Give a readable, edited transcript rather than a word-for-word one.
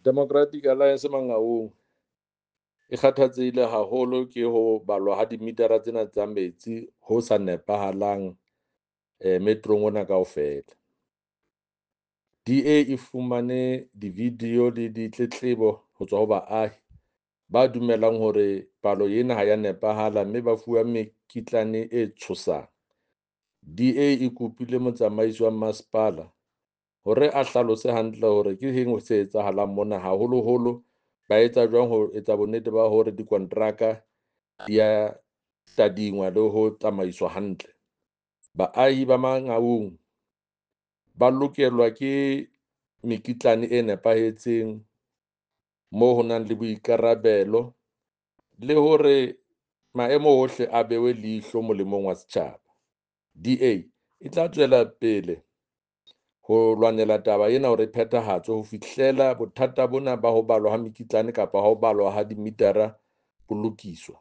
Democratic Alliance Mangaung e kgathatsehile haholo ke ho balwa ha dimitara tsena tsa metsi ho sa nepahalang metrong ona kaofela. DA e fumane di-video le ditletlebo ho tswa ho baahi ba dumelang hore palo ena ha ya nepahala mme ba fuwa mekitlane e tshosang. DA e kopile motsamaisi wa masepala hore a hlalose hantle hore ke eng se etsahalang mona, haholoholo ba etsa jwang ho etsa bonnete ba hore dikonteraka di ya tadingwa le ho tsamaiswa hantle. Baahi ba Mangaung ba lokelwa ke mekitlane e nepahetseng moo ho nang le boikarabelo le hore maemo ohle a bewe leihlo molemong wa setjhaba. DA e tla tswela pele ho lwanela taba ena hore e phethahatswe ho fihlela bothata bona ba ho balwa ha mekitlane kapa ha ho balwa ha dimitara bo lokiswa.